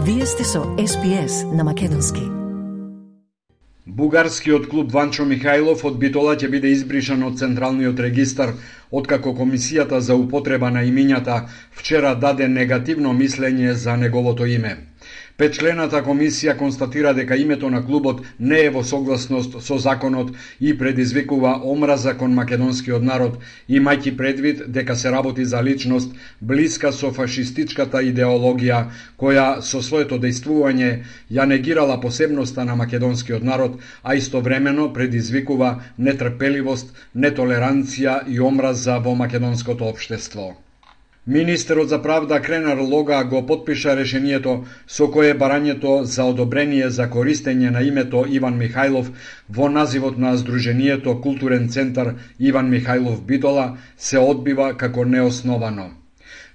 Вие сте со SPS на македонски. Бугарскиот клуб Ванчо Михајлов од Битола ќе биде избришан од Централниот регистар, откако Комисијата за употреба на имињата вчера даде негативно мислење за неговото име. Петчлената комисија констатира дека името на клубот не е во согласност со законот и предизвикува омраза кон македонскиот народ, имајќи предвид дека се работи за личност блиска со фашистичката идеологија, која со своето дејствување ја негирала посебноста на македонскиот народ, а истовремено предизвикува нетрпеливост, нетолеранција и омраза во македонското општество. Министерот за правда Кренар Лога го потпиша решението со кое барањето за одобрение за користење на името Иван Михајлов во називот на Сдруженијето Културен центар Иван Михајлов Битола се одбива како неосновано.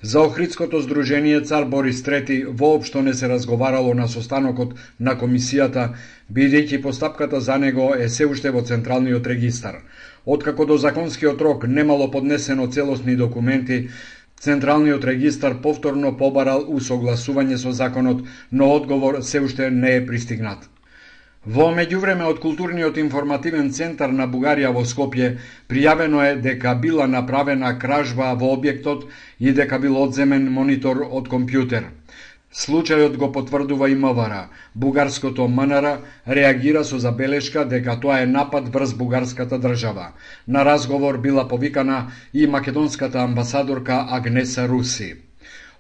За Охридското здружение Цар Борис III воопшто не се разговарало на состанокот на комисијата, бидејќи постапката за него е се уште во Централниот регистар. Откако до законскиот рок немало поднесено целосни документи, Централниот регистар повторно побарал усогласување со законот, но одговор се уште не е пристигнат. Во меѓувреме од Културниот информативен центар на Бугарија во Скопје пријавено е дека била направена кражба во објектот и дека бил одземен монитор од компјутер. Случајот го потврдува и МВР. Бугарското МНР реагира со забелешка дека тоа е напад врз бугарската држава. На разговор била повикана и македонската амбасадорка Агнеса Руси.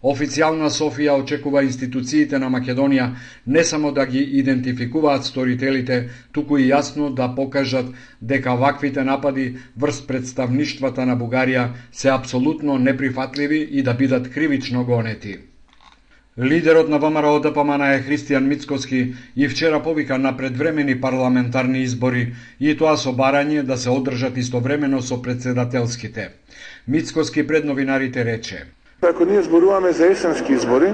Официјална Софија очекува институциите на Македонија не само да ги идентификуваат сторителите, туку и јасно да покажат дека ваквите напади врз представништвата на Бугарија се апсолутно неприфатливи и да бидат кривично гонети. Лидерот на ВМРО ДПМН е Христијан Мицкоски и вчера повика на предвремени парламентарни избори и тоа со барање да се одржат истовремено со председателските. Мицкоски пред новинарите рече: Ако ние зборуваме за есенски избори,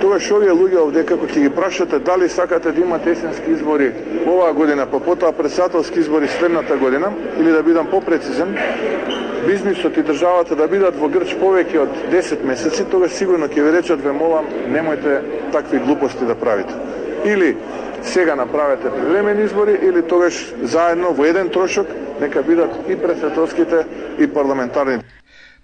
тогаш овие луѓе овде како ќе ги прашате дали сакате да имате есенски избори оваа година, па потоа председателски избори следната година, или да бидам попрецизен, бизнисот и државата да бидат во грч повеќе од 10 месеци, тогаш сигурно ќе ви речат: ве молам, немојте такви глупости да правите. Или сега направете привремени избори, или тогаш заедно во еден трошок нека бидат и председателските и парламентарните.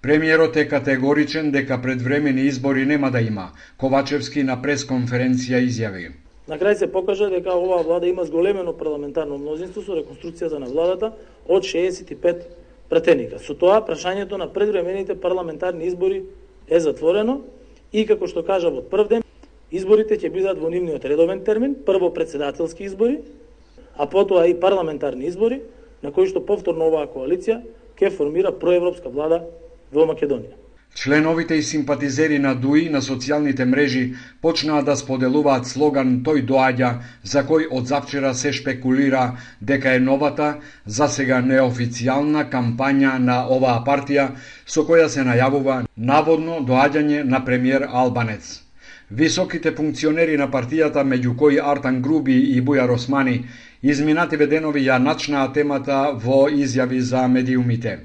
Премиерот е категоричен дека предвремени избори нема да има. Ковачевски на пресконференција изјави: На крај се покажа дека оваа влада има зголемено парламентарно мнозинство со реконструкцијата на владата од 65 пратеника. Со тоа, прашањето на предвремените парламентарни избори е затворено и, како што кажа од прв ден, изборите ќе бидат во нивниот редовен термин, прво председателски избори, а потоа и парламентарни избори, на кои што повторно оваа коалиција ќе формира проевропска влада во Македонија. Членовите и симпатизери на ДУИ на социјалните мрежи почнаа да споделуваат слоган "Тој доаѓа", за кој од завчера се шпекулира дека е новата, засега неофицијална кампања на оваа партија, со која се најавува наводно доаѓање на премиер Албанец. Високите функционери на партијата, меѓу кои Артан Груби и Бујар Османи, изминативе денови ја начнаа темата во изјави за медиумите.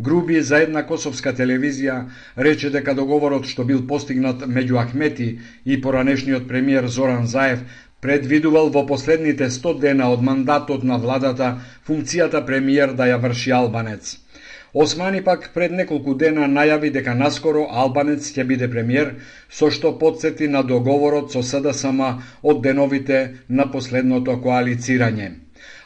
Груби за една косовска телевизија рече дека договорот што бил постигнат меѓу Ахмети и поранешниот премиер Зоран Заев предвидувал во последните 100 дена од мандатот на владата функцијата премиер да ја врши Албанец. Османи пак пред неколку дена најави дека наскоро Албанец ќе биде премиер, со што потсети на договорот со СДСМ од деновите на последното коалицирање.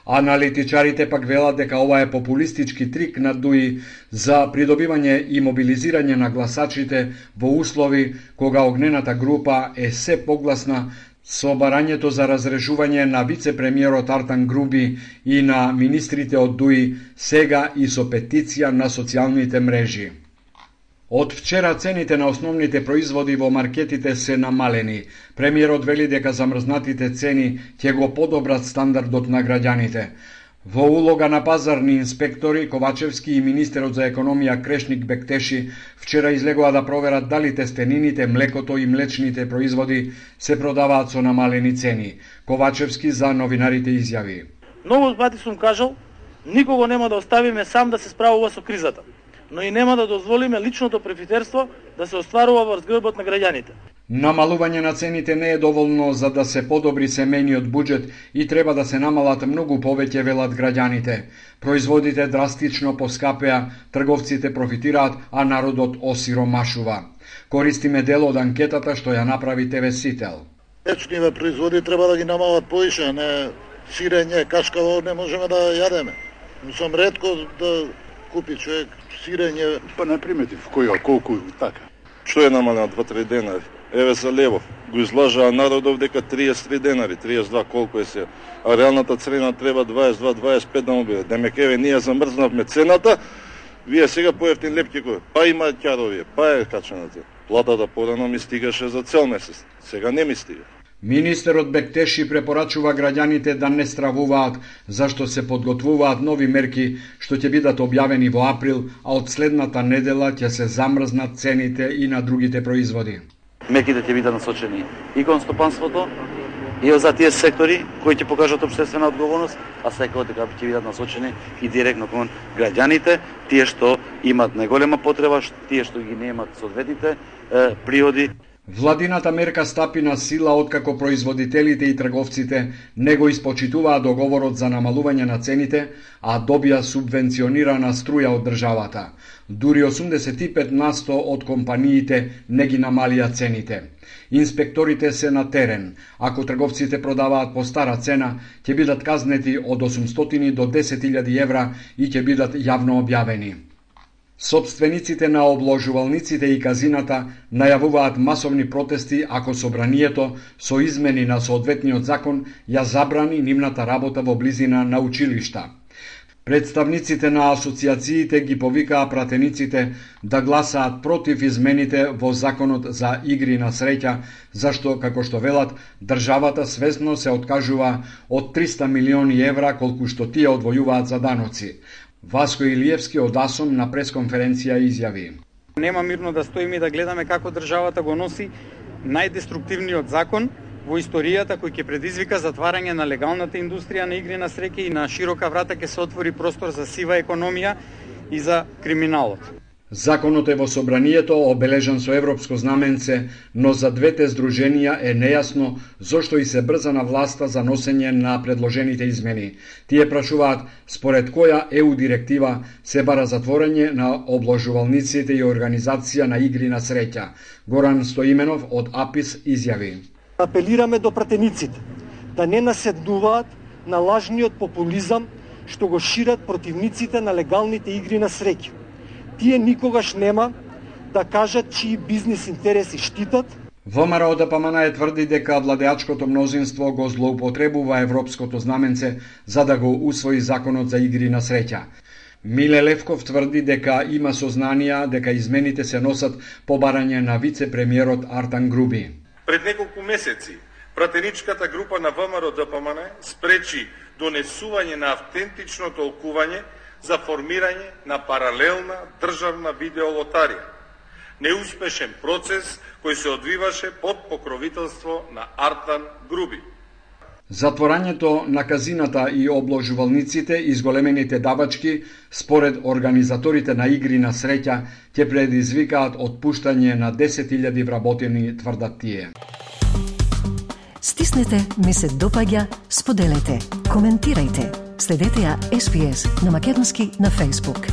Аналитичарите пак велат дека ова е популистички трик на ДУИ за придобивање и мобилизирање на гласачите во услови кога огнената група е се погласна со барањето за разрешување на вице-премиерот Артан Груби и на министрите од ДУИ, сега и со петиција на социјалните мрежи. Од вчера цените на основните производи во маркетите се намалени. Премиерот вели дека замрзнатите цени ќе го подобрат стандардот на граѓаните. Во улога на пазарни инспектори, Ковачевски и министерот за економија Крешник Бектеши вчера излегоа да проверат дали тестенините, млекото и млечните производи се продаваат со намалени цени. Ковачевски за новинарите изјави: Многу пати сум кажал, никого нема да оставиме сам да се справува со кризата. но и нема да дозволиме личното профитерство да се остварува врз грбот на граѓаните. Намалување на цените не е доволно за да се подобри семејниот буџет и треба да се намалат многу повеќе, велат граѓаните. Производите драстично поскапеа, трговците профитираат, а народот осиромашува. Користиме дел од анкетата што ја направи ТВ Сител. Млечниве производи треба да ги намалат поише, не сирење, кашкаво не можеме да јадеме. Сум ретко да купи човек сирење. Па не приметив колку така. Што е намалено 2-3 денари? Еве за левов. Го излажаа народов дека 33 денари, 32 колку е се. А реалната цена треба 22-25 да му биде. Демек еве ние замрзнавме цената, вие сега поевтин лепкико. Па има ќаровие, па е качената. Платата порано ми стигаше за цел месец. Сега не ми стига. Министерот Бектеши препорачува граѓаните да не стравуваат, зашто се подготвуваат нови мерки што ќе бидат објавени во април, а од следната недела ќе се замрзнат цените и на другите производи. Мерките ќе бидат насочени и кон стопанството, и за тие сектори кои ќе покажат општествена одговорност, а секако дека ќе бидат насочени и директно кон граѓаните, тие што имаат најголема потреба, тие што ги немаат соодветните приходи. Владината мерка стапи на сила откако производителите и трговците не го испочитуваа договорот за намалување на цените, а добија субвенционирана струја од државата. Дури 85% од компаниите не ги намалија цените. Инспекторите се на терен. Ако трговците продаваат по стара цена, ќе бидат казнети од 800 до 10.000 евра и ќе бидат јавно објавени. Собствениците на обложувалниците и казината најавуваат масовни протести ако собранието со измени на соодветниот закон ја забрани нивната работа во близина на училишта. Представниците на асоциациите ги повикаа пратениците да гласаат против измените во законот за игри на среќа, зашто, како што велат, државата свесно се откажува од 300 милиони евра колку што тие одвојуваат за даноци. Васко Илиевски од АСОМ на пресконференција изјави: Нема мирно да стоиме и да гледаме како државата го носи најдеструктивниот закон во историјата кој ќе предизвика затварање на легалната индустрија на игри на среќа и на широка врата ќе се отвори простор за сива економија и за криминалот. Законот е во собранието обележан со европско знаменце, но за двете здруженија е нејасно зошто и се брза на власта за носење на предложените измени. Тие прашуваат според која ЕУ директива се бара затворање на обложувалниците и организација на игри на среќа. Горан Стоименов од АПИС изјави: Апелираме до пратениците да не наседнуваат на лажниот популизам што го шират противниците на легалните игри на среќа. Тие никогаш нема да кажат чии бизнис интереси штитат. ВМРО ДПМН тврди дека владеачкото мнозинство го злоупотребува европското знаменце за да го усвои законот за игри на среќа. Миле Левков тврди дека има сознанија дека измените се носат по барање на вице-премиерот Артан Груби. Пред неколку месеци пратеничката група на ВМРО ДПМН спречи донесување на автентично толкување за формирање на паралелна државна видеолотарија. Неуспешен процес кој се одвиваше под покровителство на Артан Груби. Затворањето на казината и обложувалниците и зголемените давачки, според организаторите на игри на среќа, ќе предизвикаат отпуштање на 10.000 вработени, тврдат тие. Стиснете, ми се допаѓа, споделете, коментирајте. Следете ја SPS на Македонски на Facebook.